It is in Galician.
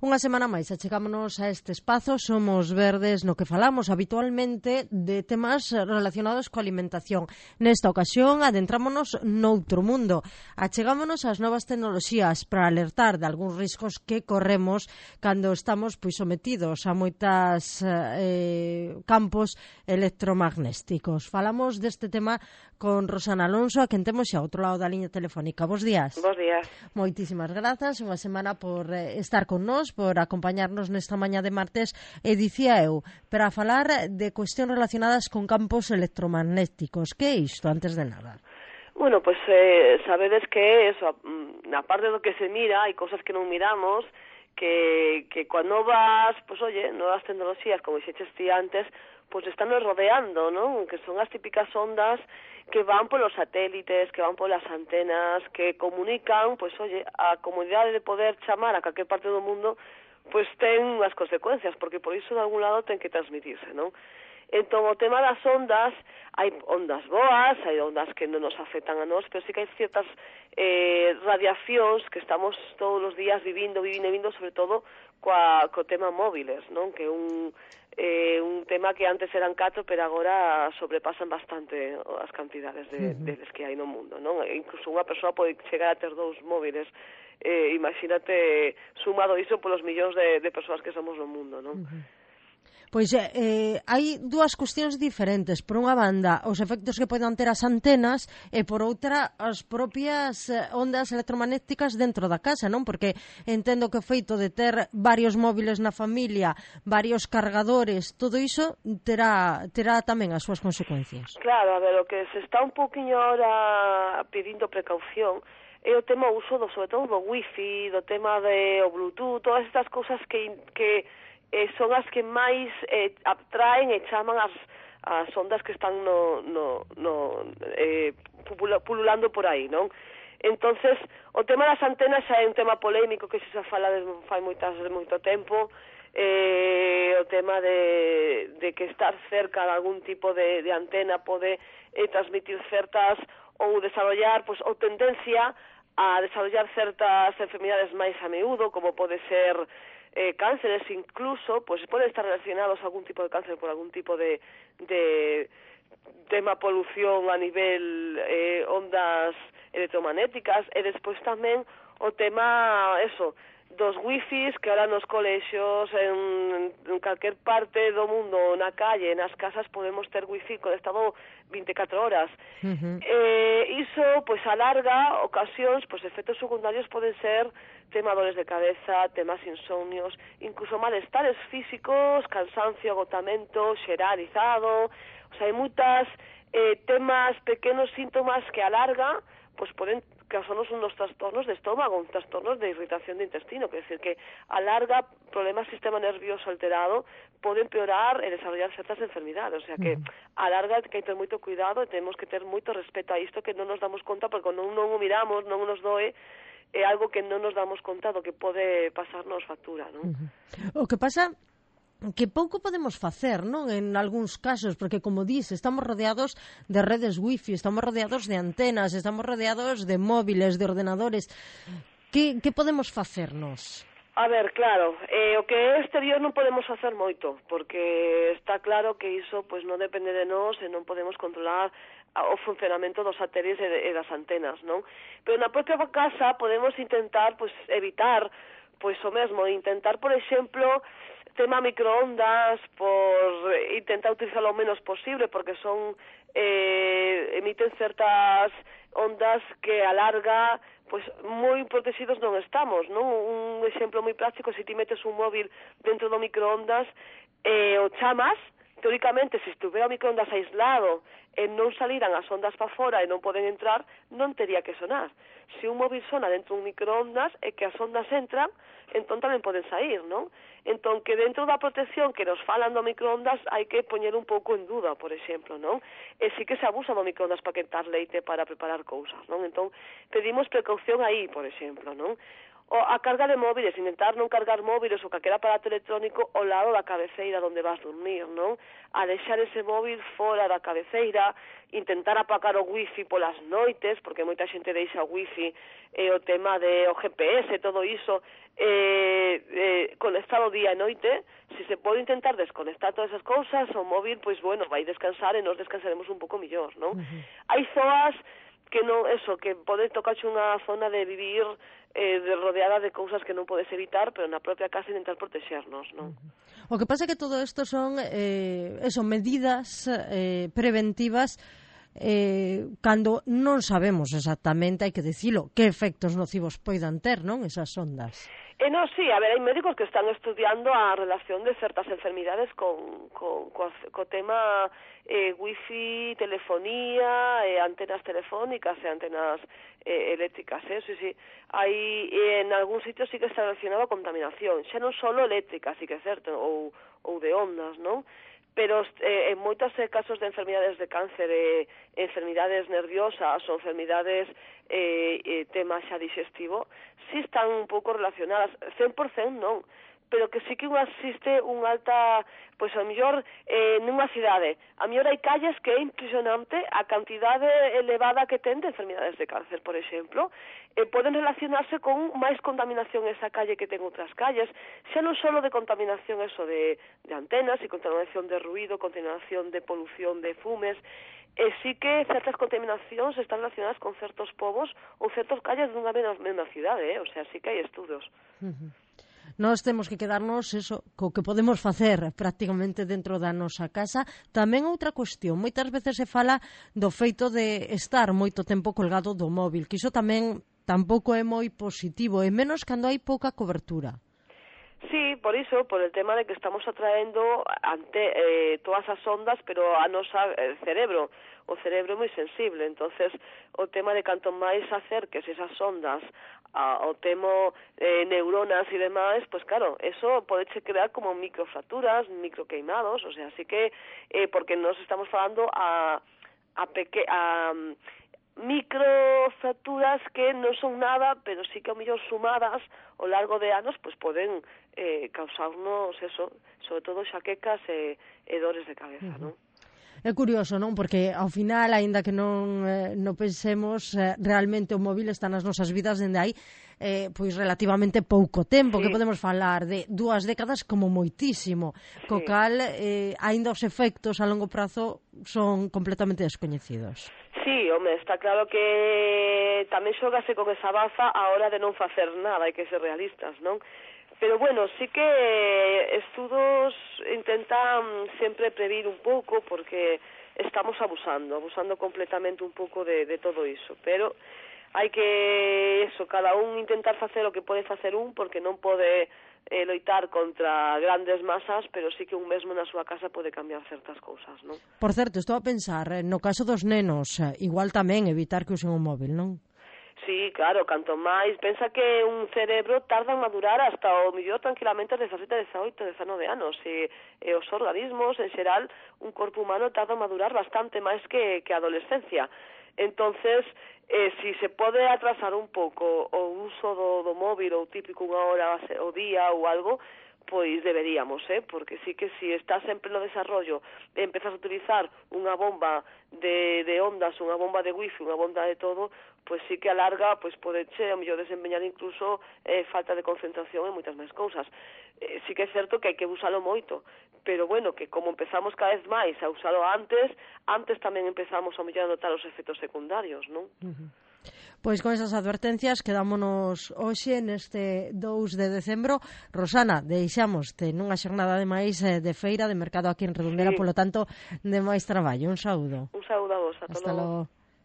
Unha semana máis achegámonos a este espazo Somos Verdes, no que falamos habitualmente de temas relacionados coa alimentación. Nesta ocasión adentrámonos noutro mundo. Achegámonos ás novas tecnoloxías para alertar de algúns riscos que corremos cando estamos sometidos a moitas campos electromagnéticos. Falamos deste tema con Rosana Alonso, a quen temos xa outro lado da liña telefónica. Bos días. Bos días. Moitísimas grazas, unha semana por estar con nós, por acompañarnos nesta mañá de martes, e dicía eu, para falar de cuestións relacionadas con campos electromagnéticos. Que é isto, antes de nada? Bueno, pues sabedes que eso, na parte do que se mira, hai cosas que non miramos, que cando vas, pues oye, novas tecnoloxías, como dixeches ti antes, pues están nos rodeando, ¿no? Que son as típicas ondas que van polos satélites, que van polas antenas, que comunican, pues oye, a comunidade de poder chamar a calquer parte do mundo, pues ten unhas consecuencias, porque por iso de algún lado ten que transmitirse, ¿no? Entón, o tema das ondas, hai ondas boas, hai ondas que non nos afectan a nós, pero sí que hai ciertas radiacións que estamos todos os días vivindo, sobre todo co tema móviles, non? Que un tema que antes eran 4, pero agora sobrepasan bastante as cantidades deles que hai no mundo, non? Incluso unha persoa pode chegar a ter 2 móviles, imagínate sumado iso polos millóns de persoas que somos no mundo, non? Pois hai dúas cuestións diferentes. Por unha banda, os efectos que poden ter as antenas e por outra, as propias ondas electromagnéticas dentro da casa, non? Porque entendo que o feito de ter varios móviles na familia, varios cargadores, todo iso terá tamén as súas consecuencias. Claro, a ver, o que se está un poquinho ahora pedindo precaución é o tema uso sobre todo do wifi, do tema o bluetooth, todas estas cousas que son as que máis atraen e chaman as ondas que están pululando por aí, non? Entonces, o tema das antenas xa é un tema polémico que se fala fai moito tempo, o tema de que estar cerca de algún tipo de antena pode transmitir certas ou desarrollar, pues, ou tendencia a desarrollar certas enfermedades máis a miúdo, como pode ser cánceres incluso, pues poden estar relacionados a algún tipo de cáncer por algún tipo de tema polución a nivel ondas electromagnéticas, e despois tamén o tema, dos wifis que ahora nos colexios, en calquer parte do mundo, na calle, nas casas, podemos ter wifi conectado 24 horas. Iso, pues, a larga ocasións, pues, efectos secundarios poden ser tema dores de cabeza, temas insomnios, incluso malestares físicos, cansancio, agotamento, xeralizado, o sea, hai moitas temas, pequenos síntomas que a larga, pues, poden causarnos unos trastornos de estómago, un trastornos de irritación de intestino, que decir que a larga problemas sistema nervioso alterado pode empeorar e desarrollar certas enfermidades, o sea que a larga hai que ter moito cuidado e temos que ter moito respeto a isto, que non nos damos conta, porque non o miramos, non nos doe, é algo que non nos damos conta do que pode pasarnos factura, non? O que pasa que pouco podemos facer, non? En algúns casos, porque como dis, estamos rodeados de redes wifi, estamos rodeados de antenas, estamos rodeados de móviles, de ordenadores. Que podemos facernos? A ver, claro, o que é exterior non podemos facer moito, porque está claro que iso pues non depende de nós e non podemos controlar o funcionamento dos satélites e das antenas, non? Pero na propia casa podemos intentar pues evitar pues o mesmo, intentar, por exemplo, tema microondas, por intentar utilizarlo o menos posible, porque son emiten certas ondas que a larga pues moi protegidos non estamos, non? Un exemplo moi práctico, se ti metes un móvil dentro do microondas o chamas, teóricamente, se estuvera o microondas aislado e non saliran as ondas para fora e non poden entrar, non tería que sonar. Se un móvil sona dentro dun microondas e que as ondas entran, entón tamén poden sair, non? Entón, que dentro da protección que nos falan do microondas hai que poñer un pouco en duda, por exemplo, non? E sí que se abusa do microondas para quentar leite, para preparar cousas, non? Entón, pedimos precaución aí, por exemplo, non? O a carga de móviles, intentar non cargar móviles ou calquera aparato electrónico ao lado da cabeceira onde vas dormir, non? A deixar ese móvil fora da cabeceira, intentar apagar o wifi polas noites, porque moita xente deixa o wifi, o tema de o GPS, todo iso, conectado día e noite. Se se pode intentar desconectar todas esas cousas, o móvil, pois bueno, vai descansar e nos descansaremos un pouco millor, non? Hai zoas que non, eso, que pode tocarche unha zona de vivir rodeada de cousas que non podes evitar, pero na propia casa intentar protexernos, non? O que pasa é que todo isto son medidas preventivas cando non sabemos exactamente, hai que dicilo, que efectos nocivos poidan ter, non, esas ondas. Non, sí, a ver, hai médicos que están estudiando a relación de certas enfermidades co tema wifi, telefonía, antenas telefónicas e antenas eléctricas, sí. Hai, en algún sitio sí que está relacionado a contaminación, xa non só eléctrica, sí que é certo, ou de ondas, non? Pero en moitos casos de enfermidades de cáncer, enfermidades nerviosas ou enfermidades tema xa digestivo, sí están un pouco relacionadas, 100% non, pero que sí que existe unha alta, pois a mellor nunha cidade, a mellor hai calles que é impresionante a cantidade elevada que ten de enfermidades de cáncer, por exemplo, poden relacionarse con máis contaminación esa calle que ten outras calles, xa non só de contaminación eso de antenas e contaminación de ruido, contaminación de polución de fumes, sí que certas contaminacións están relacionadas con certos povos ou certas calles dunha mesma cidade, o sea, sí que hai estudos. Nós temos que quedarnos eso, co que podemos facer prácticamente dentro da nosa casa. Tamén outra cuestión, moitas veces se fala do feito de estar moito tempo colgado do móvil, que iso tamén tampouco é moi positivo, e menos cando hai pouca cobertura. Sí, por iso, por el tema de que estamos atraendo todas as ondas, pero a nosa cerebro, o cerebro é moi sensible, entonces o tema de canto máis acerques esas ondas ao tema neuronas e demais, pues claro, eso podeche crear como microfracturas, microqueimados, o sea, así que, porque nos estamos falando a microfracturas que non son nada, pero sí que ao mellor sumadas ao largo de anos, pues poden causarnos eso, sobre todo xaquecas e dores de cabeza, non? É curioso, non? Porque ao final, aínda que non pensemos, realmente o móvil está nas nosas vidas dende aí pois relativamente pouco tempo, sí. Que podemos falar de 2 décadas como moitísimo, sí. Co cal aínda os efectos a longo prazo son completamente descoñecidos. Sí, home, está claro que tamén xógase con esa baza a hora de non facer nada, hai que ser realistas, non? Pero bueno, sí que estudos intentan sempre prever un pouco porque estamos abusando completamente un pouco de todo iso, pero hai que, cada un intentar facer o que pode facer porque non pode loitar contra grandes masas, pero sí que un mesmo na súa casa pode cambiar certas cousas, non? Por certo, estou a pensar, no caso dos nenos, igual tamén evitar que usen o móvil, non? Sí, claro, canto máis, pensa que un cerebro tarda en madurar hasta o mellor tranquilamente 17, 18, 19 anos, e os organismos, en xeral, un corpo humano tarda en madurar bastante máis que a adolescencia. Entonces, si se pode atrasar un pouco o uso do móvil ou típico unha hora ao día ou algo, pois deberíamos, porque sí que si estás sempre no desarrollo e empezas a utilizar unha bomba de ondas, unha bomba de wifi, unha bomba de todo, pois sí que a larga pois podeche a mellor desempeñar incluso falta de concentración e moitas máis cousas. Sí que é certo que hai que usalo moito, pero bueno, que como empezamos cada vez máis a usalo antes tamén empezamos a mellor a notar os efectos secundarios, non? Pois con esas advertencias quedámonos hoxe neste 2 de decembro. Rosana, deixámoste nunha xornada de máis de feira de mercado aquí en Redondela, sí. Polo tanto, de máis traballo. Un saúdo. Un saúdo a vos, ata logo.